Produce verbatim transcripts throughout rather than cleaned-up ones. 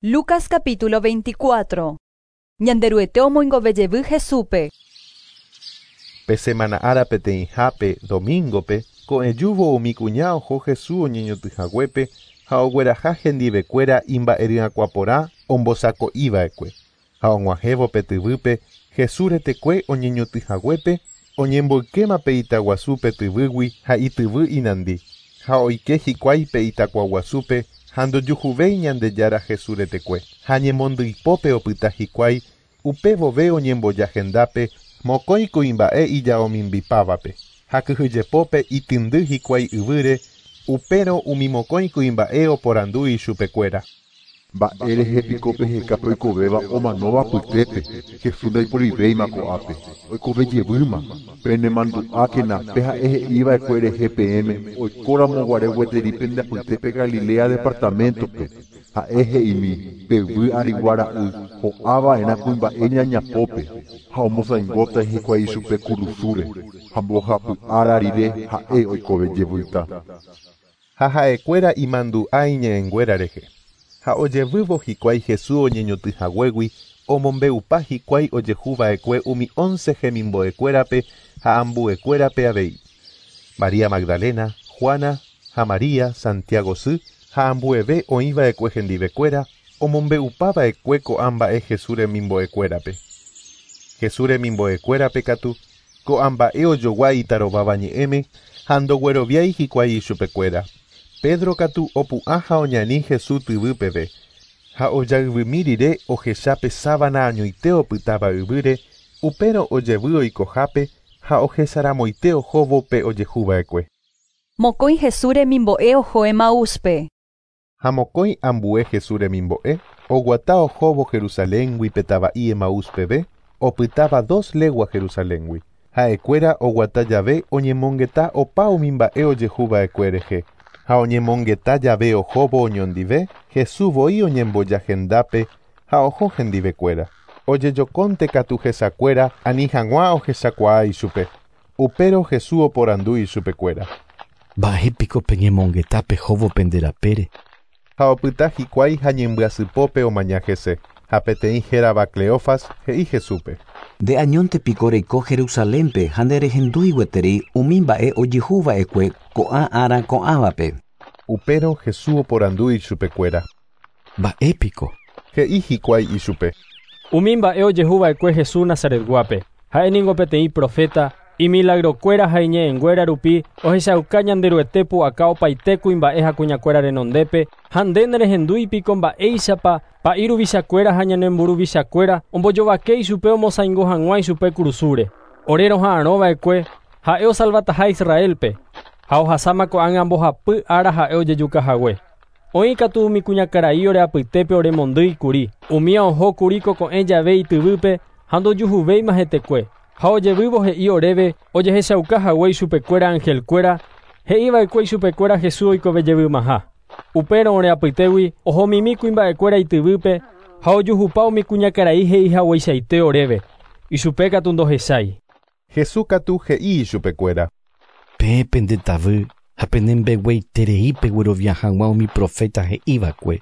Lucas capítulo veinticuatro. Ñanderuete omoingove Jesúspe. Pe semana árape teĩhápe domingope ko'ẽjúvo umi kuña oho Jesús oñeñotỹhaguépe ha ogueraha hendivekuéra imba'eryakuãporã ombosako'iva'ekue. Ha og̃uahẽvo pe tyvýpe Jesús retekue oñeñotỹhaguépe oñemboykéma pe itaguasúpe tyvýgui ha ityvy inandi. Ha oike hikuái pe itakuaguasúpe ha ndojuhuvéi Ñandejára Jesús retekue. Ha ñemondyipópe opyta hikuái upévove oñemboja hendápe mokõi kuimba'e ijaomimbipávape. Ha kyhyjepópe itĩndy hikuái yvýre upérõ umi mokõi kuimba'e oporandu ichupekuéra. Mba'érehe piko peheka oikovéva omanóva apytépe Jesús ndaiporivéima ko'ápe oikovejevýma penemandu'ákena pe ha'e he'iva'ekue rehe peẽme oikóramoguare gueteri pende apytépe Galilea departamento-pe ha'e he'imi peyvy arigua ra'y ho'ava'erã kuimba'e ñañapópe ha omosãingóta hikuái ichupe kurusúre ha mbohapy ára rire ha'e oikovejevýta. Ha ha'ekuéra imandu'a iñe'ẽnguéra rehe. Ha ojevývo hikuái Jesús oñeñotỹhaguégui omombe'upa hikuái ojehuva'ekue umi once hemimbo'ekuérape ha ambuekuérape avei. María Magdalena, Juana ha María, Santiago sy ha ambueve oĩva'ekue hendivekuéra omombe'upava'ekue ko'ã mba'e Jesús remimbo'ekuérape. Jesús remimbo'ekuérape katu ko'ã mba'e ojogua itarováva ñe'ẽme ha ndogueroviái hikuái ichupekuéra. Pedro katu opu'ã ha oñani Jesús tyvýpeve ha ojayvymi rire ohechápe sábana añoite opytáva yvýre upérõ ojevy oikohápe ha ohesaramoite ohóvo pe ojehuva'ekue. Mokõi Jesús remimbo'e oho Emaúspe. Ha mokõi ambue Jesús remimbo'e oguata ohóvo Jerusaléngui pe tava'i Emaús peve opytáva dos legua Jerusaléngui. Ha'ekuéra oguata jave oñemongeta opa umi mba'e ojehuva'ekue rehe. Ha oñemongeta jave ohóvo oñondive Jesús voi oñemboja hendápe ha oho hendivekuéra. Ojejokónte katu hesakuéra ani hag̃ua ohechakuaa ichupe. Upérõ Jesús oporandu ichupekuéra. Mba'épiko peñemongeta pehóvo pende rapére. Ha opyta hikuái ha ñembyasypópe omaña hese. Ha peteĩ hérava Cleofas he'i Jesúspe. Nde añónte piko reiko Jerusalénpe ha nderehendúi gueteri umi mba'e ojehuva'ekue ko'ã ára ko'ãvape. Upérõ Jesús oporandu ichupekuéra. Mba'épiko. He'i hikuái ichupe. Umi mba'e ojehuva'ekue Jesús Nazaretguápe. Ha'e ningo peteĩ profeta imilagrokuéra ha iñe'ẽnguéra rupi ohechauka Ñanderuete pu'aka opaite kuimba'e ha kuñakuéra renondépe ha nde nerehendúi piko mba'éichapa pa'i ruvichakuéra ha ñanemburuvichakuéra ombojovake ichupe omosãingo hag̃ua ichupe kurusúre. Ore roha'arõva'ekue ha'e osalvataha Israelpe ha ohasáma ko'ág̃a mbohapy ára ha'e ojejukahague. Oĩ katu umi kuñakarai ore apytépe oremondýi kuri. Umía oho kuri ko'ẽ jave ityvýpe ha ndojuhuvéima hetekue. Ha ojevývo he'i oréve ojehechaukahague ichupekuéra angelkuéra he'iva'ekue ichupekuéra Jesús oikovejevýmaha. Upérõ ore apytégui ohomimi kuimba'ekuéra ityvýpe ha ojuhupa umi kuñakarai he'ihagueichaite oréve. Ichupe katu ndohechái. Jesús katu he'i ichupekuéra. Peẽ pendetavy ha penembegueiterei peguerovia hag̃ua umi profeta he'iva'ekue.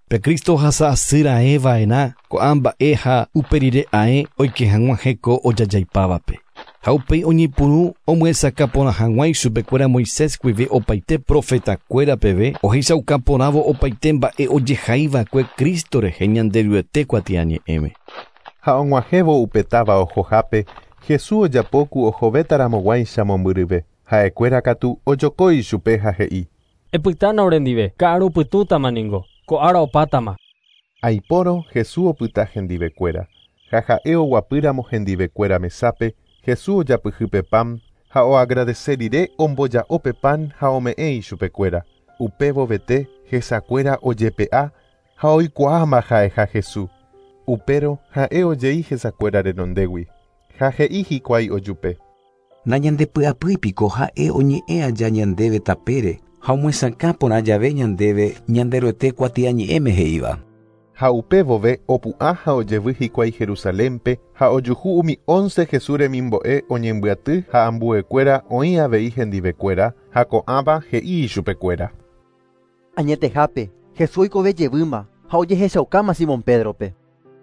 Pe Cristo ohasa asy raẽva'erã ko'ã mba'e ha uperire ae oike hag̃ua heko ojajaipávape. Ha upéi oñepyrũ omyesakã porã hag̃ua ichupekuéra Moisés guive opaite profetakuéra peve ohechauka porãvo opaite mba'e ojehaiva'ekue Cristo rehe Ñanderuete kuatiañe'ẽme. Ha og̃uahẽvo upe táva ohohápe Jesús ojapo ohovétaramoguáicha mombyryve. Ha'ekuéra katu ojoko ichupe ha he'i. Epytána orendive, ka'arupytũtama ningo, ko ára opátama. Aipórõ Jesús opyta hendivekuéra. Ha ha'e oguapýramo hendivekuéra mesápe Jesús ojapyhy pe pan ha oagradece rire omboja'o pe pan ha ome'ẽ ichupekuéra. Upévovete hesakuéra ojepe'a ha oikuaáma ha'eha Jesús. Upérõ ha'e ojei hesakuéra renondégui. Ha he'i hikuái ojupe. Nañandepy'apýi piko ha'e oñe'ẽ aja ñandéve tapére ha omyesakã porã jave ñandéve Ñanderuete kuatiañe'ẽme he'íva. Ha upévove opu'ã ha ojevy hikuái Jerusalénpe ha ojuhu umi once Jesús remimbo'e oñembyaty ha ambuekuéra oĩ avei hendivekuéra ha ko'ãva he'i ichupekuéra. Añetehápe Jesús oikovejevýma Ha ojehechaukáma Simón Pédrope.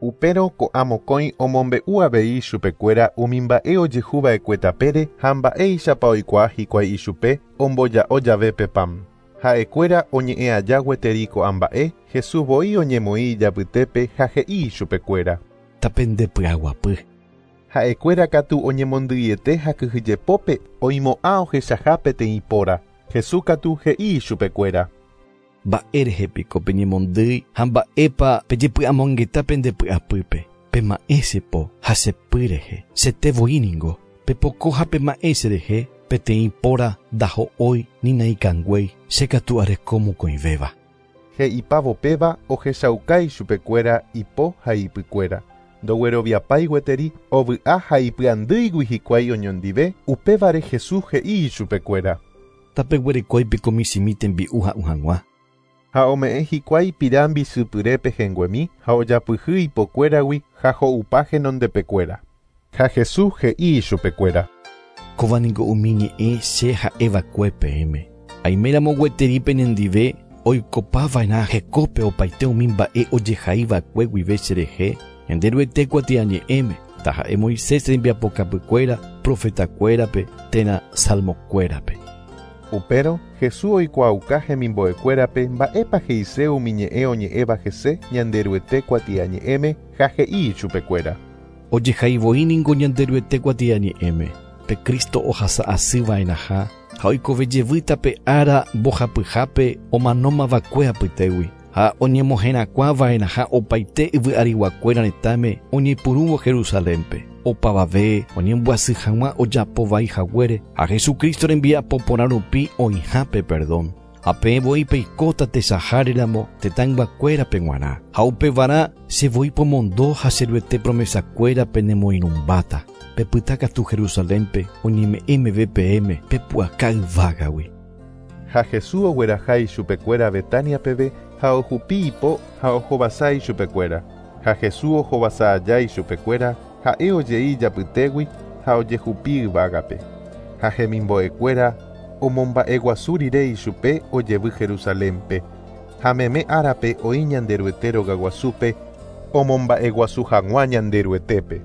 Upérõ ko'ã mokõi omombe'u avei chupekuéra umi mba'e ojehuva'ekue tapére ha mba'éichapa oikuaa hikuái ichupe omboja'o jave pe pan. Ha'ekuéra oñe'ẽ aja gueteri ko'ã mba'e, Jesús voi oñemoĩ ijapytépe ha he'i ichupekuéra. Tapendepy'aguapy. Ha'ekuéra katu oñemondýiete ha kyhyjepópe oimo'ã ohechaha peteĩ póra. Jesús katu he'i ichupekuéra. Mba'érehe piko peñemondýi ha mba'épa pejepy'amongeta pendepy'apýpe. Pema'ẽ che po ha che py rehe, chete voi ningo. Pepoko ha pema'ẽ che rehe, peteĩ póra ndaho'ói ni naikanguéi, che katu areko mokõivéva. He'ipávo péva ohechauka ichupekuéra ipo ha ipykuéra. Ndogueroviapái gueteri ovy'a ha ipy'andýigui hikuái oñondive, upévare Jesús he'i ichupekuéra. Tapeguerekói piko michĩmi tembi'u ha'u hag̃ua. Ha ome'ẽ hikuái pira mbisypyrépe henguemi ha ojapyhy ipokuéragui ha ho'upa henondepekuéra. Ha Jesús he'i ichupekuéra. Kóva niko umi ñe'ẽ che ha'eva'ekue peẽme. Aiméramo gueteri penendive oikopava'erã hekópe opaite umi mba'e ojehaiva'ekue guive cherehe Ñanderuete kuatiañe'ẽme, taha'e Moisés rembiapokapykuéra, profetakuérape térã salmokuérape. Upérõ Jesús oikuaauka hemimbo'ekuérape mba'épa he'ise umi ñe'ẽ oñe'ẽva hese Ñanderuete kuatiañe'ẽme ha he'i ichupekuéra. Ojehaivoi ningo Ñanderuete kuatiañe'ẽme, pe Cristo ohasa'asyva'erãha ha oikovejevýta pe ára mbohapyhápe omanómava'ekue apytégui ha oñemoherakuãva'erãha opaite yvy'ariguakuéra retãme oñepyrũvo Jerusalénpe. Opavave oñembyasy hag̃ua ojapovai haguére ha Jesucristo rembiapo porã rupi oĩhápe perdón. Ha peẽ voi peikóta techaháreramo tetãyguakuérape g̃uarã. Ha upevarã che voi pomondo ha che Ruete promesakuéra penemoirũmbáta. Pepyta katu Jerusalénpe oñeme'ẽ meve peẽme pepu'aka yvágagui. Ha Jesús ogueraha ichupekuéra Betania peve ha ohupi ipo ha ohovasa ichupekuéra. Ha Jesús ohovasa aja ichupekuéra ha'e ojei ijapytégui ha ojehupi yvágape. Ha hemimbo'ekuéra omomba'eguasu rire ichupe ojevy Jerusalénpe. Ha meme árape oĩ Ñanderuete rogaguasúpe omomba'eguasu hag̃ua Ñanderuetépe.